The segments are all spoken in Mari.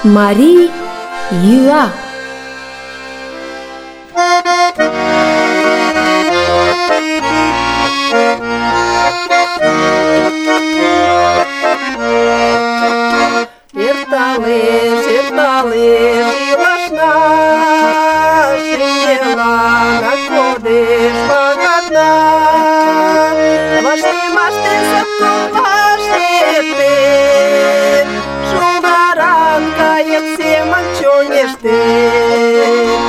Марий йӱа. Эрталеш, эрталеш илашна, шинчеланак кодеш пагатна. Ваште сапкылаште эртен, шулдаран кайык семын чоҥештен.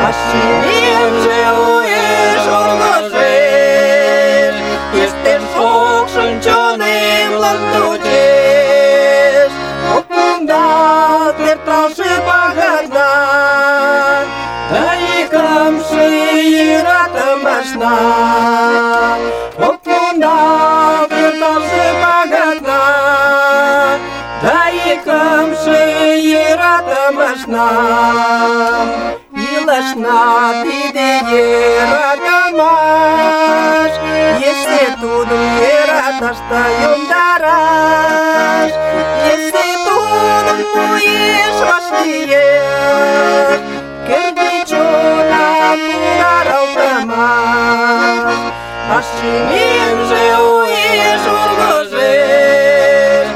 А шӱмемже уэш ургыжеш, еште шокшын чонемлан тучеш. Ок мондалт эрталше пагатна, да икымше йӧратымашна. Ок мондалт эрталше пагатна, да икымше йӧратымашна. Илашна тиде йӧратымаш, если тудым йӧраташ да йомдараш, если тудым муэш вашлиеш, кӧргӧ чонак пударалтымаш. А шӱмемже уэш ургыжеш,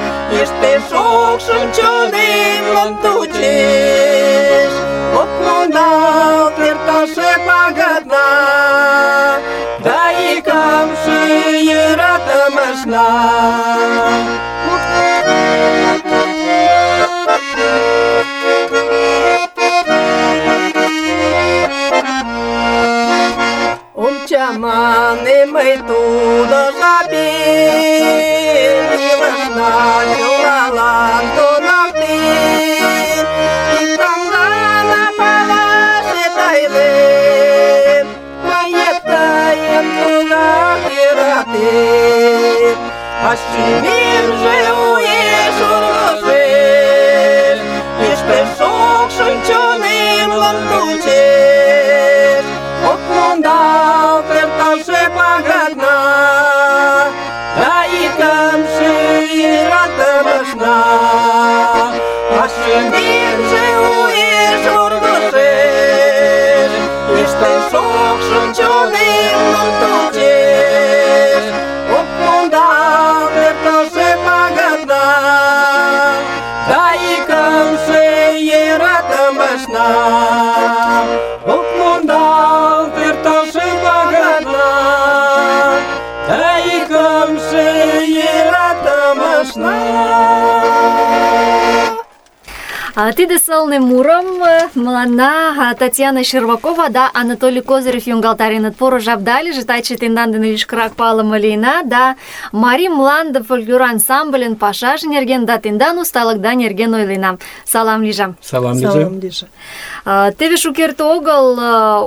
еште шокшын чонемлан тучеш. Ок мондалт эрталше пагатна, да икымше йӧратымашна. Ом чамане мый тудо жапем, илышна чылалан тунавтен. Иктым гына палашет айлем, мыет тыйым тугак йӧратем. А шӱмемже уэш ургыжеш, еште шокшын чонемлан тучеш. Ок мондалт эрталше пагатна, да икымше йӧратымашна. А шӱмемже уэш ургыжеш, еште шокшын чонемлан тучеш. Ок мондалт эрталше пагатна, да икымше йӧратымашна. Ок мондалт эрталше пагатна, да икымше йӧратымашна. Тиде сылне мурым мыланна Татьяна Щербакова да Анатолий Козырев йоҥгалтареныт. Поро жап да лийже, таче тендан дене лишкырак палыме лийына да Марий мланде фольклор ансамбльын пашаже нерген да тендан усталыкда нерген ойлена. Салам лийже. Салам лийже. Теве шукерте огыл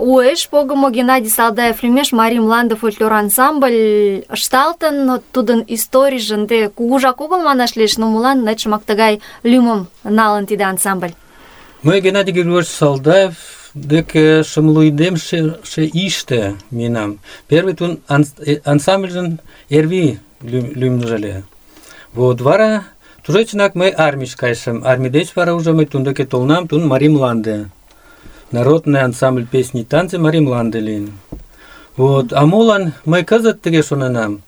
уэш погымо Геннадий Салдаев лӱмеш Марий мланде фольклор ансамбль ышталтын. Тудын историйже ынде кугужак огыл манаш лиеш, но молан нечымак тыгай лӱмым налын тиде ансамбль? Мый Геннадий Григорьевич Салдаев деке шымлуйдемше иште минам. Первый тун ансамбльжын Эрви лӱмжӧ ыле. Вот вара тушечынак мый армийыш кайышым. Армий деч вара уже мый тун деке толынам, тун Марий мланде. Народный ансамбль песни и танцы Марий мланде лийын. Вот, а молан мый кызыт тыге шоненам.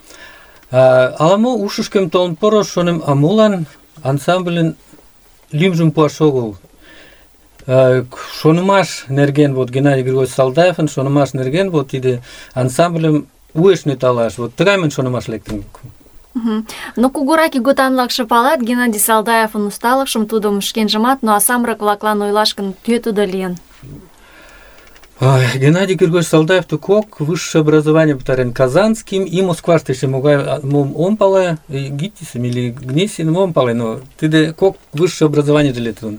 Ала-мо ушышкем толын пурыш, шонем, а молан ансамбльын лӱмжым пуаш огыл. Шонымаш нерген, вот Геннадий Григорьевич Салдаевын шонымаш нерген, вот тиде ансамбльым уэш нӧлталаш. Вот тыгай мыйын шонымаш лектын. Но кугурак иготанлакше палат Геннадий Салдаевын усталыкшым, тудым шкенжымат, но а самырык-влаклан ойлаш гын, кӧ тудо лийын? Геннадий Григорьевич Салдаев кок высшее образование пытарен Казанским и Москваште еще ом пале, Гитисом или Гнесиным ом пале, но тиде кок высшее образование делетун.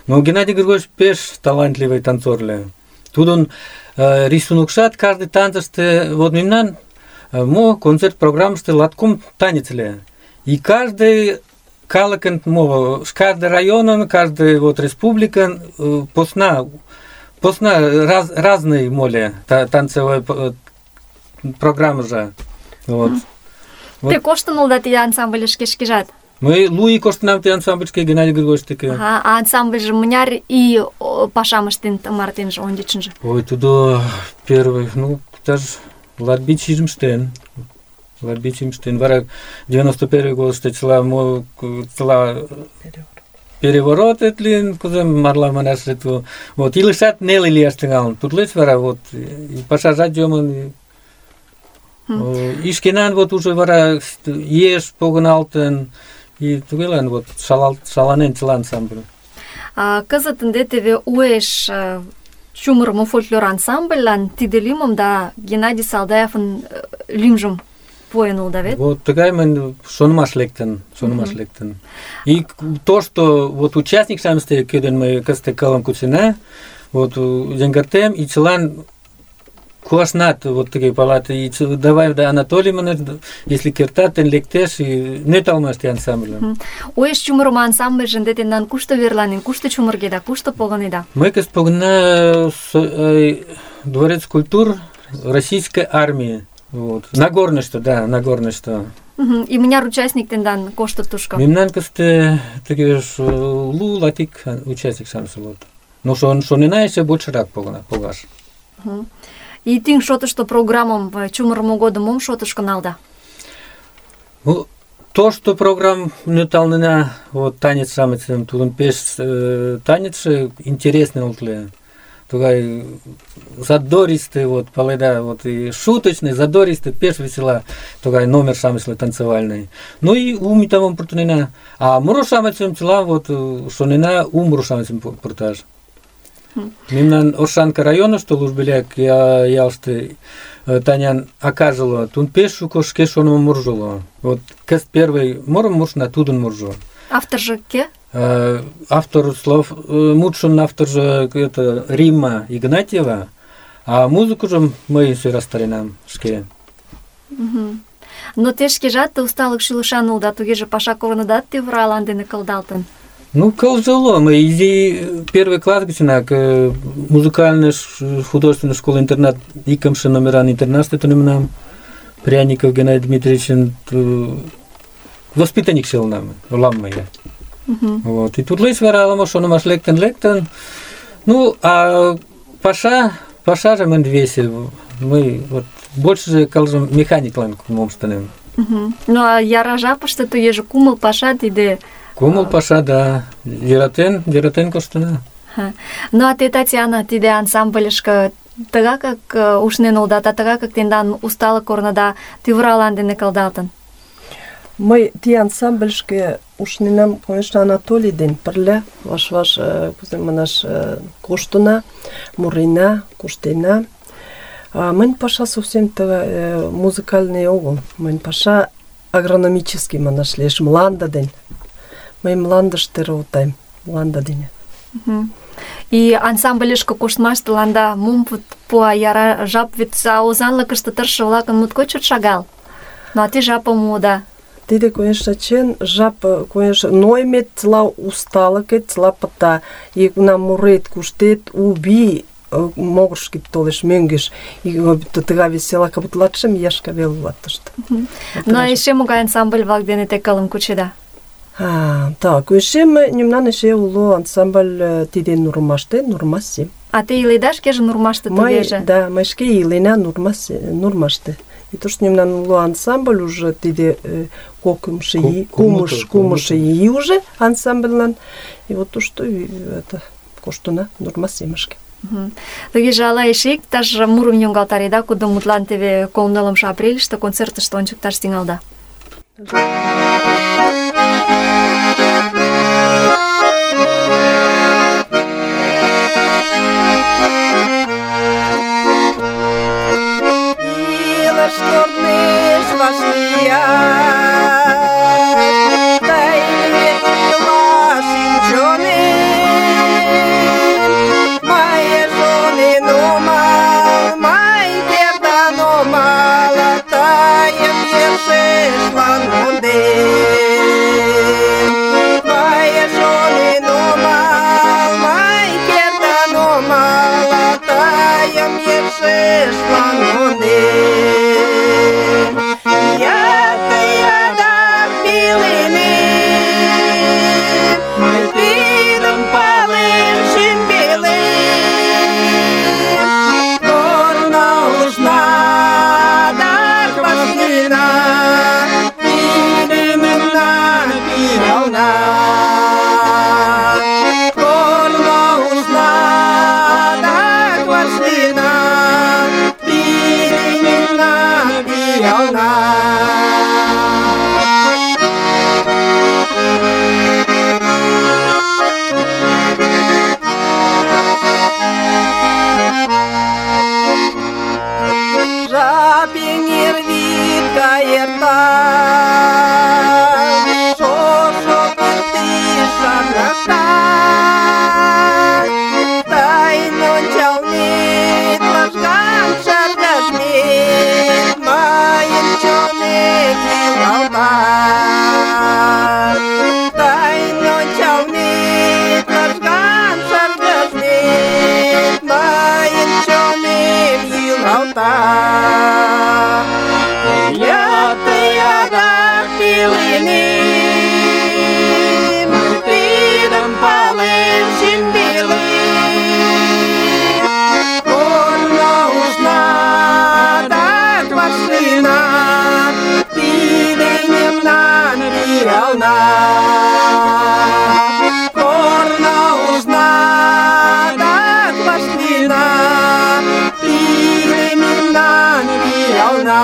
Но Геннадий Григорьевич пеш талантливый танцор ле. Тут он рисунокшат каждый танцыште, вот мемнан мо концерт программыште латком танец ле. И каждый калыкын мова, каждый районын, каждый вот республикан посна разные моле танцевые программы же. Вот. Те коштын улда тиде ансамбль шкежат? Мый луи коштынам те ансамбльышке Геннадий Григорьевич деке. А ансамбльже мыняр ий пашам ыштен тымартенже, ончычынжо? Ой, тудо первый, даже латбичижым штен. Вара 91 годыште цела переворот этлин, кузем марла манаш эту. Вот, илышат нелы лияш тыҥалын. Тутлеш вара вот и пашажат йомын. И шкенан вот уже вара еш погыналтын, и тугелан вот шаланен цела ансамбль. Кызыт ынде теве уэш чумырымо фольклор ансамбльлан тиде лӱмым да Геннадий Салдаевын лӱмжым пуэн улыда вет? Вот тыгай мын шонымаш лектын. И то, что вот участник-шамысте, кӧден мый кызыт кылым кучена, вот йыҥгыртем, и чылан куашнат вот тыге палат, и давай да Анатолий манеш, если кертат, тен лектеш, и нӧрталмаш те ансамбльым. Уэш чумырымо ансамбльже ынде тендан кушто верланен, кушто чумыргеда, кушто погынеда? Мый кызыт погына Дворец культур Российской армии. Вот. Нагорнышто. И мыняр участник тендан коштыт тушко? Мемнан кызыт тыге лу латик участник-шамыч улыт. Но шонена эше большырак погаш. И тӱҥ шотышто программым чумырымо годым мом шотышко налда? То, что программ нӧрталнена, вот танец-шамычым, тудын пеш танецше интересный ултле. Тугай задористый, вот, паледа, вот, и шуточный, задористый, пеш весела, тугай номер шамычлы танцевальный. Ну и умитамом пуртунена. А муро шамычым чыла, вот, шонена муро шамычым пурташ. Мемнан Оршанка района, что Лужбеляк, ялшты Танян окажила, тун пеш шуко шке шонымо муржоло. Вот, кыз первый мурым муршна, тудын муржо. Автор же ке? Автор слов, мутшин автор же это Римма Игнатьева, а музыку же мы все расстаренам шке. Но те шкежат усталык шӱлышан улыда, тугеже паша корныдат тӱвыралан дене кылдалтын. Кылжало. Мы изи первый класс гычынак музыкальная художественная школа-интернат икымше номеран интернатыште тунемынам. Пряников Геннадий Дмитриевичын воспитанник шелынам, улам мый. Вот. И тут лес вара ала-мо шонымаш лектын. А паша же мын весел. Мы вот больше же калжым механиклан мом ыштенем. А яра жапыште тугеже кумыл паша тиде. Кумыл паша, да. Йӧратен коштына. А те, Татьяна, тиде ансамбльышко тыгакак ушнен улыда, тыгакак тендан усталык корныда тӱвыралан дене кылдалтын? Мый ти ансамбльышке ушненам, конечно, Анатолий ден пырля, ваш кузе манаш, коштына, мурена, куштена. Мынь паша совсем музыкальный огыл. Мынь паша агрономический манаш лиеш, мланда ден. Мый мландыште работаем, мланда дене. И ансамбльышко коштмаштыланда мом пуа яра жап, вет озанлыкыште тырше-влакын моткоч чот шагал. А те жапым муыда. Тиде, конечно, чен жап, конечно, ноймет цела усталыкет, цела пыта. И кунам мурет, куштет, уби, могырышкет толеш мӧҥгеш. И тыга весела, как будто латшым яшка вел улат тыште. Но эше могай ансамбль-влак дене те кылым кучеда? Так, эше мемнан эше уло ансамбль тиде Нурмаште, Нурмасе. А те иледа шкеже Нурмаште тугеже? Да, мый шке илена Нурмаште. И то, что мемнан уло ансамбль уже тиде кумыши и уже ансамбльлан. И вот то, что это коштуна Нурмасе мышке. Тугеже ала эше иктаж мурым йоҥгалтареда, кудо мутлан теве 9 апрельыште концертыште ончыкташ тӱҥалда? малана. Жапеҥер вӱд гай эртак, шошо пӱртӱс шарнакта. Тыйын ончылнет лыжган шыргыжмет мыйын чонем йӱлалта. Тыйын ончылнет лыжган шыргыжмет мыйын чонем йӱлалта. Адак пеленем, тидым палем шӱмбелем. Корно ужна, адак вашлийна, тиде мемнан пиална. Корно ужна, адак вашлийна, тиде мемнан пиална.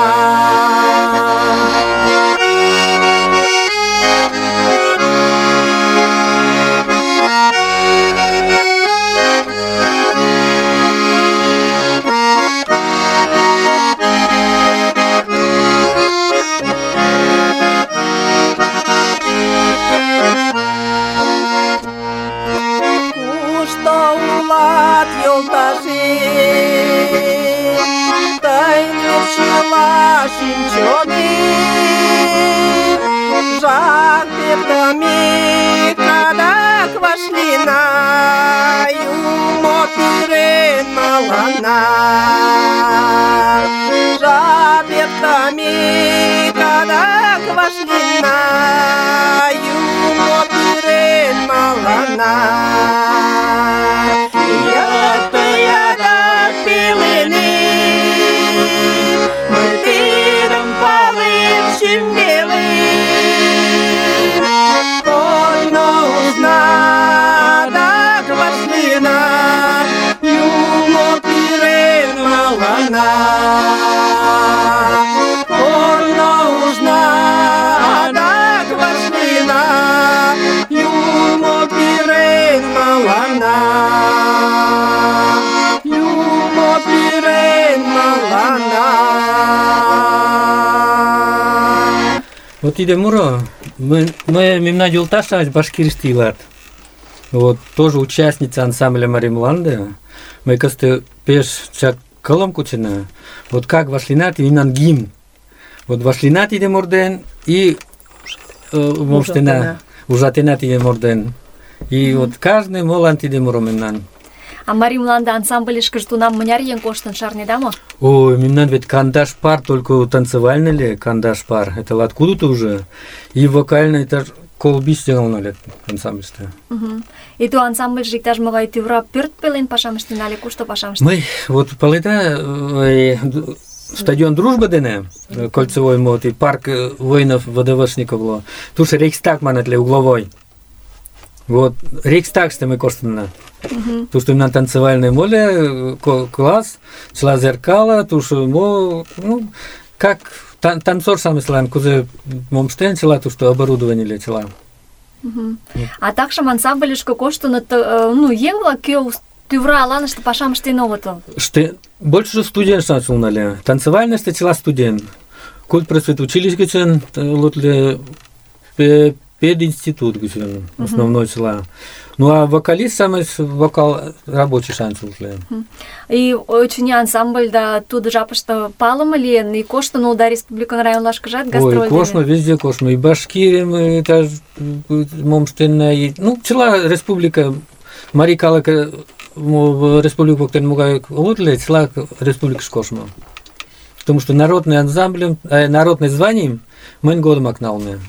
Жак пертамик адак вашлийна, юмо пӱрен мыланна. Жак пертамик адак вашлийна, юмо пӱрен мыланна. Адак пеленем, мый тидым палем шӱмбелем. Корно ужна, адак вашлийна, юмо пӱрен мыланна. Корно ужна, адак вашлийна, юмо пӱрен мыланна. Юмо пӱрен мыланна. Вот тиде муро, мемнан йолташ-шамыч Башкирийыште илат. Вот тоже участница ансамбля Марий Мланде. Мы кызыт пеш чак кылым кучена. Вот как вашлийна мемнан гимн. Вот вашлийна тиде мурден и ужатена тиде мурден. И вот каждый молан тиде муро мемнан. А Марий Мланде ансамбльышкыже тунам мыняр еҥ коштын, шарнеда мо? Ой, мемнан ведь кандаш пар, только танцевальный ли кандаш пар. Это откуда-то уже. И вокальный, это колбис сделано лет ансамбльстве. И ту ансамбльже иктаж-могай тӱвра пӧрт пелен пашам ыштен але кушто пашам ыштен? Мы вот паледа стадион Дружба дене, кольцевой мод, и парк воинов ВДВшников. Туш Рейхстаг манатле угловой. Вот Рейхстаг что мы коштана. То, что на танцевальной моле класс, цела зеркала, то, что ну, как танцор сам ислам, кузе момштен цела, то, что оборудование ли цела. А такшым ансамбльышко коштыныт, ну, еҥ-влак кӧ тӱвра аланыште пашам ыштен огытыл. Больше же студент начал, танцевальный цела студент. Культ просветучилищ гычын, лотле пединститут гычын, основной цела. Ну а вокалист самый вокал рабочий шанс лотле. И очыни ансамбль да тудо жапыште палыме лийын, и коштын улда республикан районлашкыжат гастроль дене. Ой, кошно, везде кошно. И Башкирия, мы этаж момштена, ну, цела республика, Марий калык республика воктен мугай лотле, цела республика шкошно. Потому что народный ансамбль, народный званием мэн годом акналме.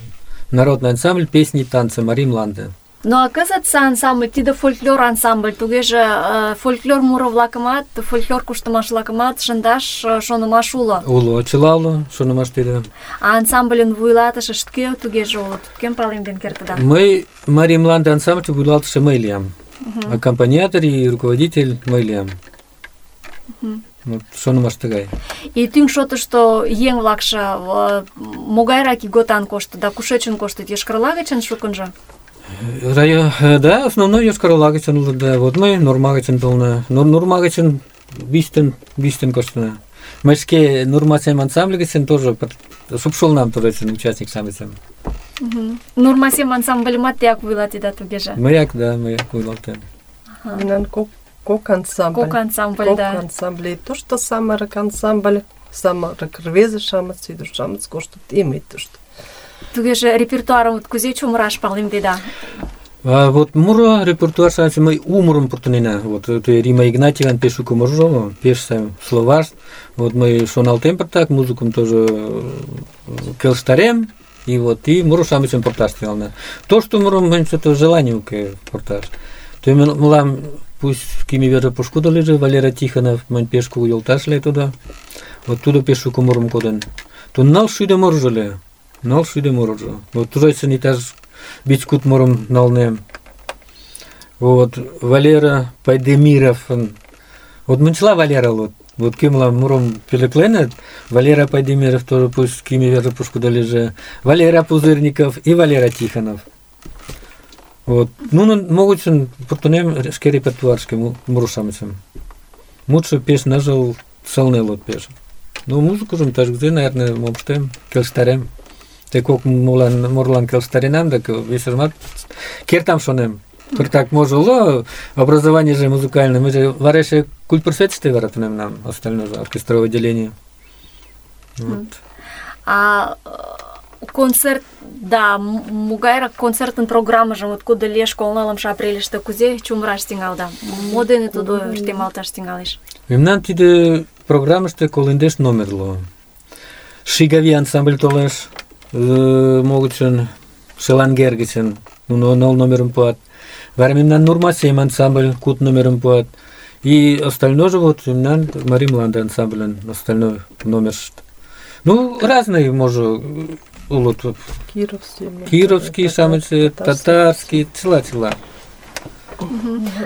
Народный ансамбль песни и танцы Марий Мланде. Ну а кызытсе ансамбль тиде фольклор ансамбль, тугеже фольклор муро-влакымат, фольклор куштымаш-влакымат шындаш шонымаш уло. Уло, чыла уло, шонымаш тиде. А ансамбльын вуйлатышышт кӧ тугеже улыт? Кӧм палемден кертыда? Мы Марий Мланде ансамбль вуйлатыше мый лиям. Аккомпаниатор и руководитель мый лиям. Вот шонымаш тыгай. И тӱҥ шотышто еҥ-влакше могайрак ийготан коштыт да кушечын коштыт? Йошкар-Ола гычын шукынжо? Да, основной Йошкар-Ола гычын улыт, да. Вот мый Нурма гычын толна. Нурма гычын бистен коштына. Мый шке Нурма сем ансамбль гычын тоже шупшолнам тоже участник самыйсым. Нурма сем ансамбльымат теак вуйлатеда тугеже? Мыяк вуйлатем. Мынан кок ансамбль. Кок ансамбль, да. Кок ансамбль. И то, что самырык ансамбль, самырык рвезе-шамыч, ӱдыр-шамыч коштыт, и мый тушто. Тугеже репертуарым кузе чумыраш палемдеда? Вот муро репертуар шансы мый у мурым пуртынена. Вот Рима Игнатьеван пеш шуко муржо, пеш сай словаш. Вот мый шоналтем пыртак, музыкым тоже келыштарем. И вот и муро шамычым пурташ тӱҥална. То, что мурым мынь что-то желание уке пурташ. То мылам пусть кими верже пошкудо лежи, Валера Тихонов, мынь пеш кугу йолташ ле тудо. Вот тудо пеш шуко мурым коден. То 900 муржо ле. 900 муржо. Вот тужайсын иктаж 5 мурым налнем. Вот Валера Пайдемиров. Вот мынчла Валера вот кимла мурым пелекленет, Валера Пайдемиров тоже пусть кими верже пошкудо лежи. Валера Пузырников и Валера Тихонов. Вот. Ну, могут пуртунем шке репертуаршке мурушамычым. Мутшо пеш нажыл сылне лот пеш. Ну, музыку жым таж где, наверное, мопштем, келштарем. Те кок мурлан келштаренам, так весержмат кертам шонем. Пыртак може уло образование же музыкальное. Мы же вареше культпросветстве варатунем нам, остальное же оркестровое отделение. Вот. А концерт, да, могайрак концертын программыжым откуда лиеш колналымшы апрельыште кузе чумыраш тӱҥалда? Мо дене тудо ыштемалташ тӱҥалеш? Мемнан тиде программыште колындеш номерло. Шигави ансамбль толеш, могычын Шелангер гычын, нуно 0 номерым пуат. Вара мемнан Нурма сем ансамбль 5 номерым пуат. И остальное же вот мемнан Мари Мланда ансамбльын остальной номершт. Ну, разные, може, улут. Кировский, шамычы, татарский, цила.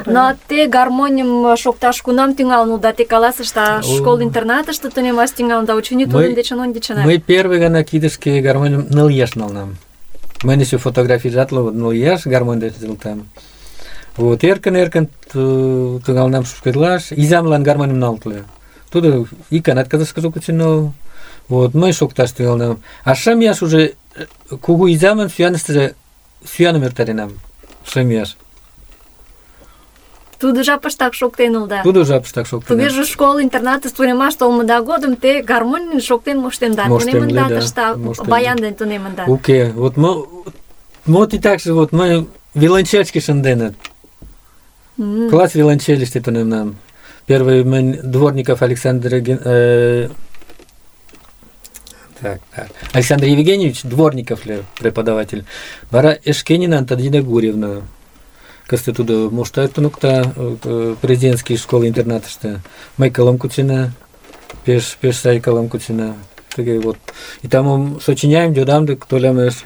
Но те гармоньым шокташ кунам тӱҥалын да те каласышда школ-интернатыште тунемаш тӱҥалын да очыни тудын дечын ончычынак. Мый первый гана кидышке гармоньым 0 ияш налнам. Мыйын еще фотографий жатлы 0 ияш гармонь деч жылтам. Вот эркын тӱҥалнам шупшкедлаш, изамлан гармоньым налытле. Тудо иканат кызышкыже кучыно. Вот мый шокташ тӱҥалнам. А 5 ияш уже кугу изамын сӱаныштыже сӱаным эртаренам. 5 ияш. Тудо жапыштак шоктен улыда. Тудо жапыштак шоктен. Тугеже школ-интернатыш тунемаш толмыда годым те гармонь шоктен моштенда. Тунемында тышта баян дене тунемында. Уке, вот мо титакше вот мый виолончельшке шынденыт. Класс виолончелиште тунемнам. Первый мынь Дворников Александр Александр Евгеньевич Дворников преподаватель. Вара Эшкенина Антонина Гурьевна. Кысты тудо моштает тунукта президентский школы-интернатышты. Май калам кучина, пеш сай калам кучина. Вот. И там сочиняем, дёдам, да кто лямеш.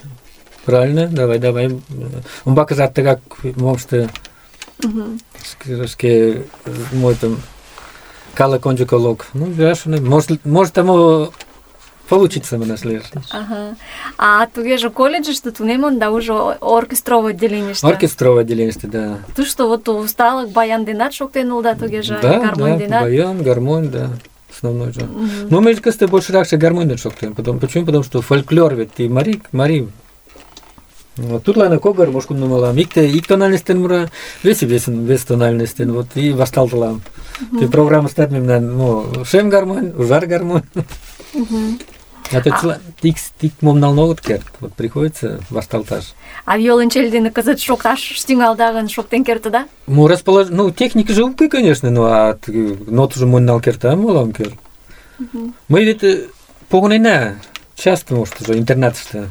Правильно? Давай. Он баказат так, как момшты. Скажи, мой там кала конджуколог. Ну, бяшно. Может тому получится мы нашли. Ага. А тугеже колледжыште тунемын да уже оркестровое отделениеште. Оркестровое отделениеште, да. Ты что, вот усталых баян денат шоктен улда тугеже гармонь денат? Да, баян, гармонь, да. Основной же. Но мы кажется больше раньше гармонь не шоктен. Почему? Потому что фольклор ведь и Мари. Вот тут лайна когар, мошкун нумалам. Ик тональностен мура, вес тональностен. Вот и васталталам. Ты программа стат мемнан, шем гармонь, ужар гармонь. А то тик момнал ногот керт. Вот приходится васталташ. А виолончель дене кызыт шокташ тӱҥалдагын шоктен кертыда? Техника же укы, конечно, а ноту же моннал керта, молам керт. Мы ведь погонена часто, может, уже интернатыште.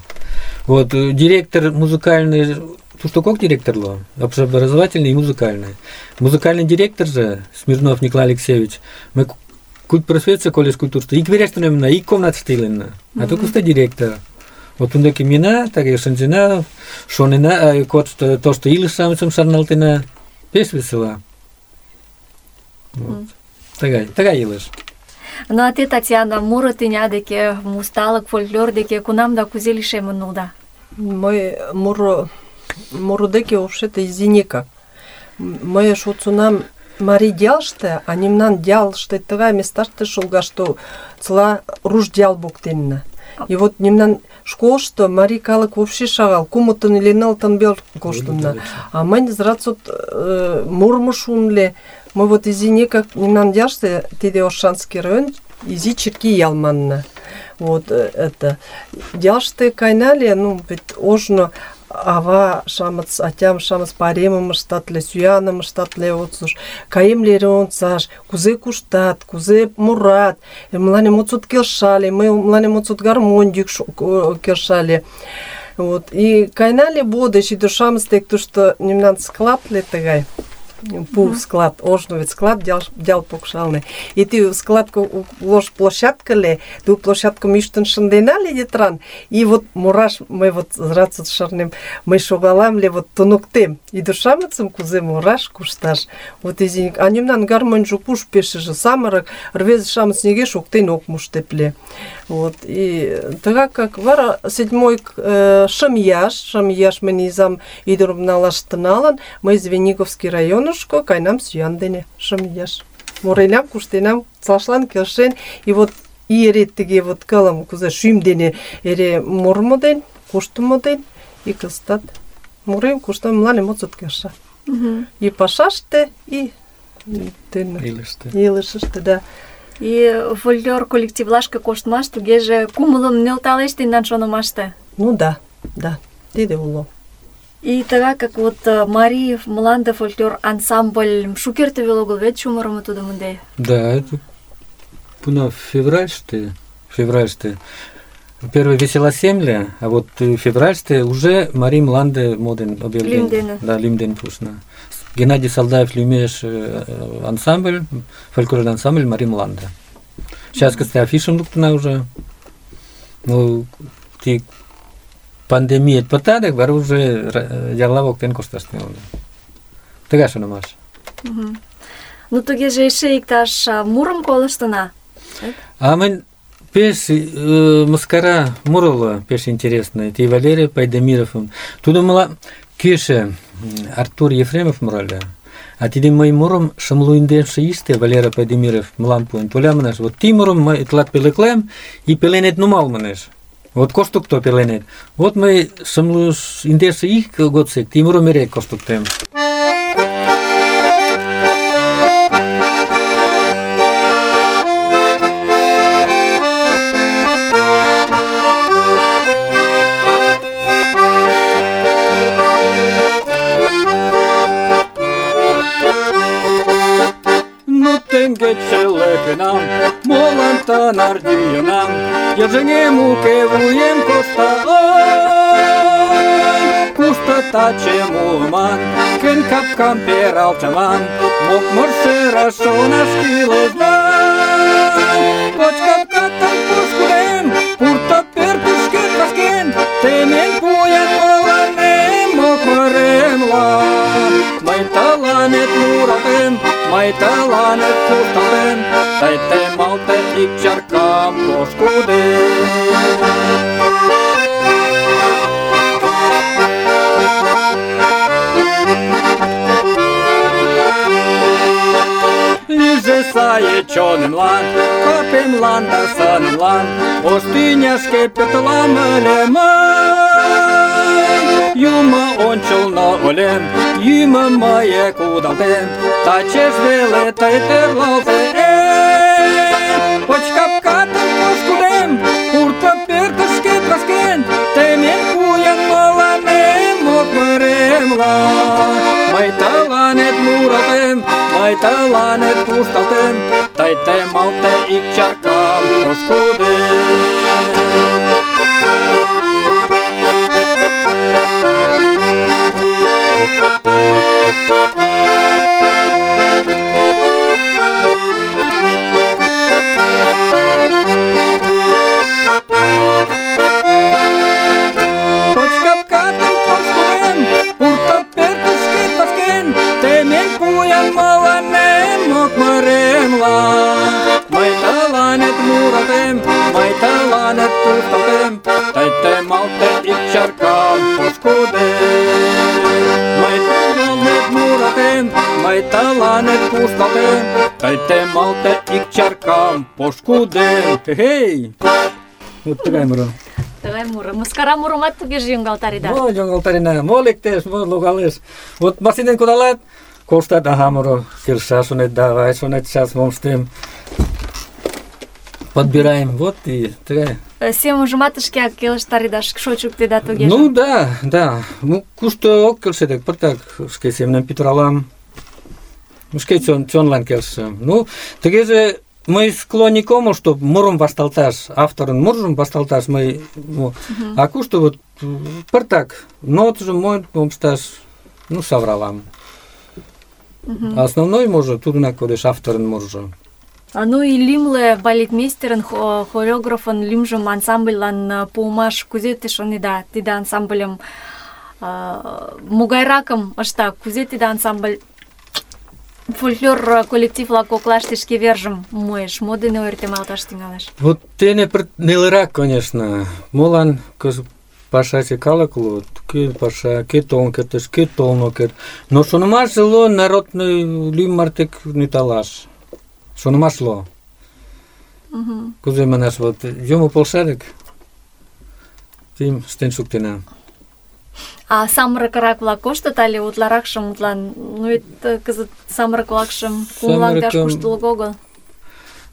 Вот директор музыкальный, тут как директор ло? Общеобразовательный и музыкальный. Музыкальный директор же, Смирнов Николай Алексеевич, мы культпросветстве колледж культуры, и кверештунемна, и комнат стилена. А только что директор. Вот он таки мина, так и шанзина, шонина, то, что или самым шарналтина, пес весела. Вот. Такая илыш. Ну, а те, Татьяна, муро тӱня деке, усталык, фольклор деке кунам да кузе лишемын улыда? Мый муро деке вообще-то изинекак. Мый шуцунам Марий ялыште, а мемнан ялыште тыгай месташте шолгаш, что цела руш ял воктенна. И вот мемнан школышто марий калык вообще шагал, кумытын или нылытын бел коштынна. А мый зрацот мурмо шунле. Мы вот изинекак мемнан ялыште, тиде Оршанский район, изи черки ял манна. Вот это. Ялыште кайнали, ну, ведь ожно ава шамыц, атям шамыц паремым ыштатле, сӱаным ыштатле, вот слуш, каемлере онцаш, кузе куштат, кузе мурат, мыланем отсот келшали, мыланем отсот гармонь йӱк келшали. Вот. И кайнали бодыш, и до шамыц тек тушто мемнан складле тыгай. Пу склад, ожно ведь склад дял покшалны. И ты складку лож площадка ле, ту площадку миштын шынденали детран. И вот мураш, мы вот зрацут шарнем, мы шогалам ле вот тунуктем. И душамыцым кузе мураш кушташ. Вот изиник. А немнан гармонжу пуш пешеже самырак, рвез шамыц неге шоктен ок муштепле. Вот. И так как вара седьмой шамияш мы низам идурм налаштыналан, мы из Вениговский район кайнам сүйан дене шамияш. Морелям куштенам цашлан келшен, и вот иере теге вот калам кузе шүйм дене эре мурмо ден, куштумо ден, и кылстат. Мурем куштам мланем отсот келша. И пашаште, и илышыште, да. И фольклор коллективлашке коштмаш тугеже кумылым нӧлталеш тендан шонымаште. Ну да, тиде уло. И тыгак как вот Марий мланде фольклор ансамбль шукерте веле огыл вет чумырымо тудым ынде. Да, это пуна февральште. Первый весела семля, а вот февральште уже Марий мланде моден объявление. Да, лимден пушна. Геннадий Салдаев лимеш ансамбль, фольклорный ансамбль Марий мланде. Сейчас, кстати, афишем луктана уже. Ну, ти пандемия потадек, бар уже ярла воктен кошташны oldu. Тыгай шонымаш. Ну тугеже эше иктаж мурым колыштына. А мен пеш маскара мурыла пеш интересный. Ти Валерий Пайдамиров. Тудо мала кеше Артур Ефремов мурале. А тиде мой мурым шымлуинден шиисте Валерий Пайдамиров млан пуэн. Толя манаш, вот ти мурым май тлат пелеклем и пеленет нумал манаш. Вот коштук то пеленет. Вот мы шымлуш индеши их годсек, ти мурым мерек коштук тем. Geçelepinam, molantan ardiyonam, Yevženie muke vujem kosta, Kusta tače mulman, ken kapkam peralčaman, Mok morse rašona škile znan. Poč kapkatan poškulem, purta pertuške pasken, Temen pujen molanem, mok morem lan. Mai talanet muratem, mai talanet tutalem, Taite malte ikčarkam poškudem. Liže saje čonen lan, kapem lan da sanen lan, Oštinjaške petlamele man. Yuma ončulno olem, yuma maje kudaltem, Tačeš vele taiterlalte Poč kapkatan poškulem, Urta pertuške prasken, Temen kujen molanem, mokmerem lan. Mai talanet muratem, mai talanet pustaltem, Taite malte ikčarkam poškudem. тый темалте ик чаркам пошкудем. Мый тыланет муратем, мый тыланет кушталтем, тый темалте ик чаркам пошкудем. Хе-хей! Вот тыгай муро. Тыгай муро. Мыскара мурымат тугеже йоҥгалтареда. Мо йоҥгалтарена, мо лектеш, мо логалеш. Вот машинен кудалат, коштат, ага, муро, келша, шонет, давай, шонет, сейчас мом ыштем. Подбираем, вот и тыгай. Семжымат шкеак келыштареда, шочуктеда тугеже. Ну да. Ну, кушто ок келше дек, пыртак шке семнем пӱтыралам. Шке чонлан келшем. Ну, тыгеже мый склонник омыл, чтоб мурым вашталташ, авторын муржым вашталташ мый, а кушто вот пыртак нотжым мойын омшташ, ну, савралам. Основной муржо тудынак кодеш, авторын муржо. Ну и лимле балетмейстерын, хореографын лимжым ансамбльлан пуымаш кузе те шонеда, тиде ансамбльым могайракым ышта, кузе тиде ансамбль фольклор коллектив-влак коклаште шке вержым муэш, мо дене ойыртемалташ тӱҥалеш? Вот тене нелырак, конечно. Молан пашаче калык улыт, кӧ паша, кӧ толын кертеш, кӧ толын ок керт. Но шонымаш уло народный лӱм мартек нӧлталаш. Шонымаш уло. Кузе манаш, вот юмо полша дык, тим ыштен шуктена. А самырыкрак-влак коштыт але утларакшым, утлан, ну вет кызыт самырык-влакшым кумылаҥдаш куштылго огыл.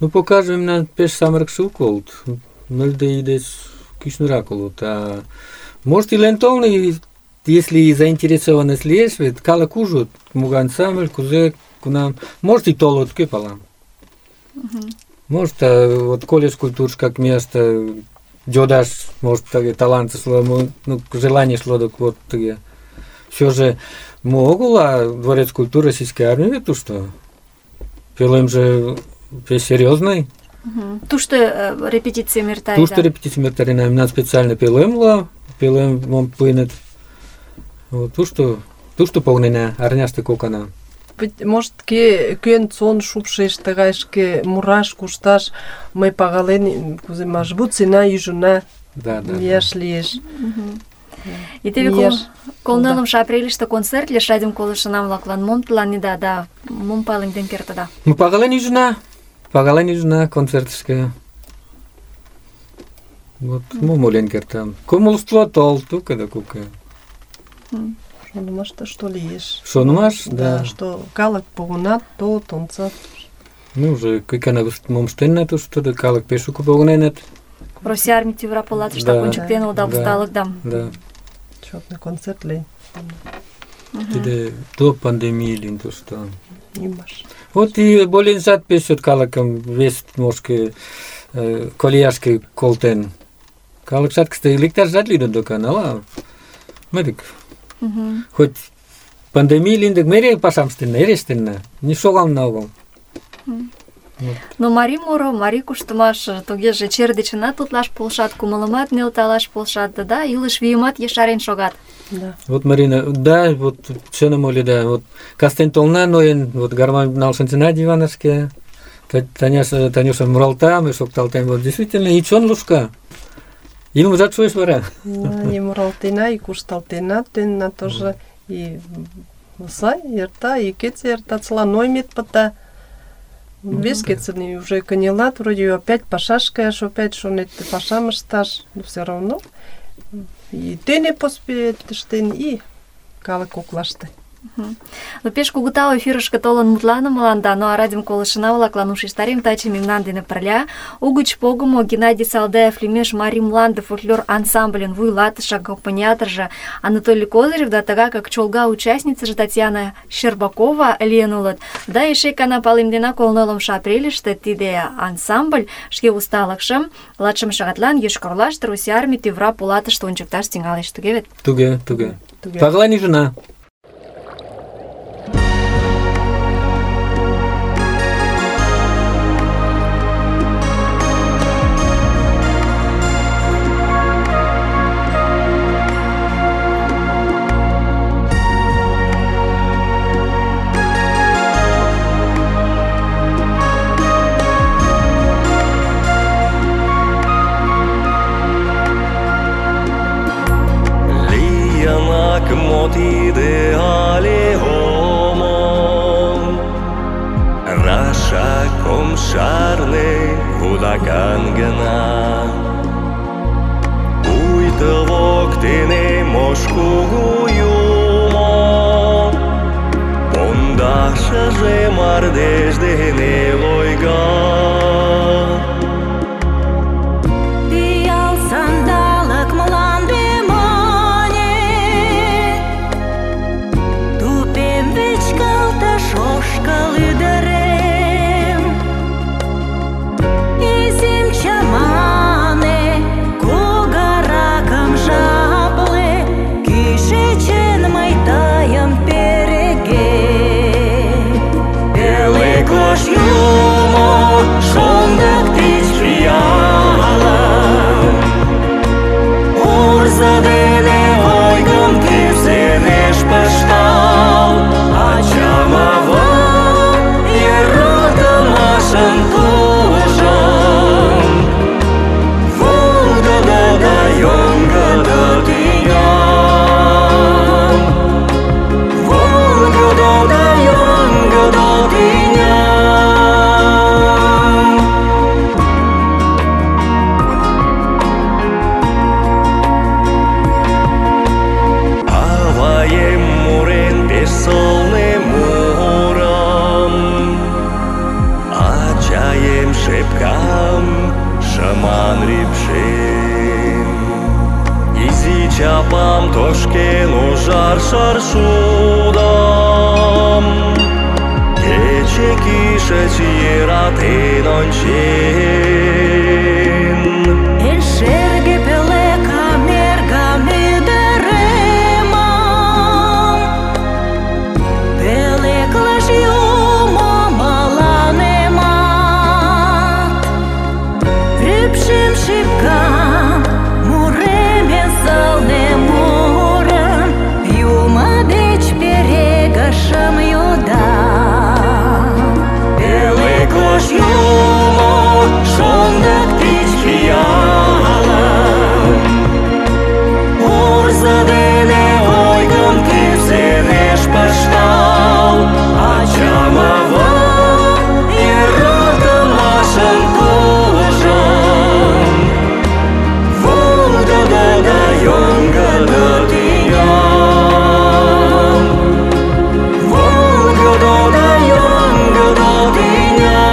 Ну, покажем, мемнан пеш самырыкше уко улыт. Нылде ий деч кӱшнырак улыт. А может, илен толын, если заинтересованность лиеш, вет калык ужыт, могай ансамбль, кузе, кунам. Может, и толыт, кӧ пала. Может, вот колледж культур как место, йодаш, может, талант шло, ну, желание шло, так вот, все же могла дворец культуры российской армии, то что пилим же серьезный. Тушто репетиция мертарина. Тушто репетиция мертарина, именно специально пилим мом пынет. Вот тушто полнена, арняшты кокана. Может, кӧн сон шупшеш тыгай шке мураш, кушташ, мый пагален, кузе мажбут сена ӱжына, мияш лиеш. И теве колнылымшо апрельыште концерт лиеш радиом колышынам-влаклан. Мом тыланеда да мом палемден кертыда? Ну, пагален ӱжына концертышке. Вот, мом ойлен кертам. Кумылство тол, тука да кука. Шонымаште что лиеш. Шонымаш, да. Что калык погынат, толыт, онцат. Ну, уже кыкана мом ыштенна тушто, да калык пеш шуко погыненыт. Россия армий тӱвра полатыштак ончыктен улыда усталыкдам. Да. Чётный концерт лийын. Тиде до пандемии лийын тушто. Имаш. Вот и боленжат пеш чот калыкым вес мошке колияшке колтен. Калыкшат, кстати, лекташжат лийын докан, ала? Мыдык. Хоть пандемия лийын дык мере пашам ыштенна, эре ыштенна. Не шогална огыл. Но марий муро, марий куштымаш тугеже чер дечынат утлаш полшат, кумылымат нӧлталаш полшат, да илыш вийымат ешарен шогат. Да. Вот, Марина, да, вот чыным ойледа, вот кастен толна ноен, вот гармонь налшынчына диванышке, Танюша муралта, мый шокталтем, вот действительно, и чон лушка. Илымжат шуэш вара. И муралтена, и кушталтена, тенна тоже, и сай, ерта, и кец ерта, цла ноймет пыта. Вес кецыни уже конелат, вроде опять пашашкаеш, опять шонет пашам ышташ, но все равно. И тене поспеет ыштен, и калык коклаште. Но пеш кугыта эфирышке толын мутланымылан да, ну а радиом колышына-влаклан ушештарем таче мемнан дене пырля угыч погымо Геннадий Салдаев лӱмеш Марий мланде фольклор ансамбльын вуйлатыше, аккомпаниаторжо Анатолий Козырев да тыгакак чолга участницыже Татьяна Щербакова лийын улыт. Да эше кана палемдена колнылымшо апрельыште тиде ансамбль шке усталыкшым латшым шагатлан Йошкар-Олаште Россия армий тӱвра полатыште ончыкташ тӱҥалеш, туге вет? Туге. Пагален ӱжына. Вӱта воктене мош кугу юмо, пондашыже мардеж дене лойга. Пиал сандалык мланде мане, тупем вичкалтыш ошкыл ӱдырем. Изим чамане, кугаракым жапле, кӱшычын мый тыйым перегем. Пӧлеклыш юмо шондык тич пиалым, урзо дене ойгым кӱсенеш пыштал. Ачам-авам йӧратымашын тужым, волгыдо да йоҥгыдо тӱням, волгыдо да йоҥгыдо тӱням. Аваем мурен пеш сылне мурым, ачаем шепкам шыман рӱпшен. Изи чапам тошкен ужар шаршудам, кече кӱшыч йӧратен ончен. Эн шерге пӧлекым эргым ӱдыремым, пӧлеклыш юмо мыланемат. Рӱпшем шепкам, муремен сылне мурым, юмо деч перегышым йодам. Пӧлеклыш юмо шондык тич пиалым, урзо дене ойгым кӱсенеш пыштал. Ачам-авам йӧратымашын тужым, волгыдо да йоҥгыдо тӱням, волгыдо да йоҥгыдо тӱням.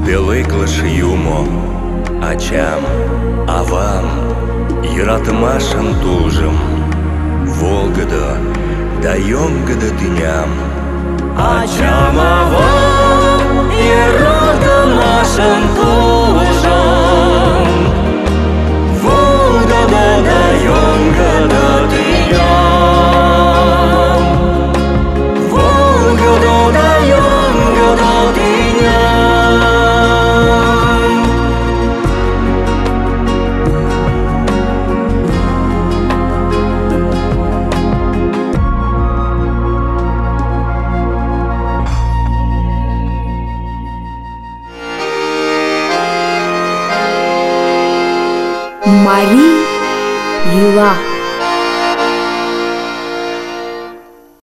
Пӧлеклыш юмо ачам, авам йӧратымашын тулжым, волгыдо да йоҥгыдо тӱням. Ачам-авам йӧратымашын тулжым, волгыдо да йоҥгыдо тӱням, волгыдо да йоҥгыдо тӱням. Мари йӱла.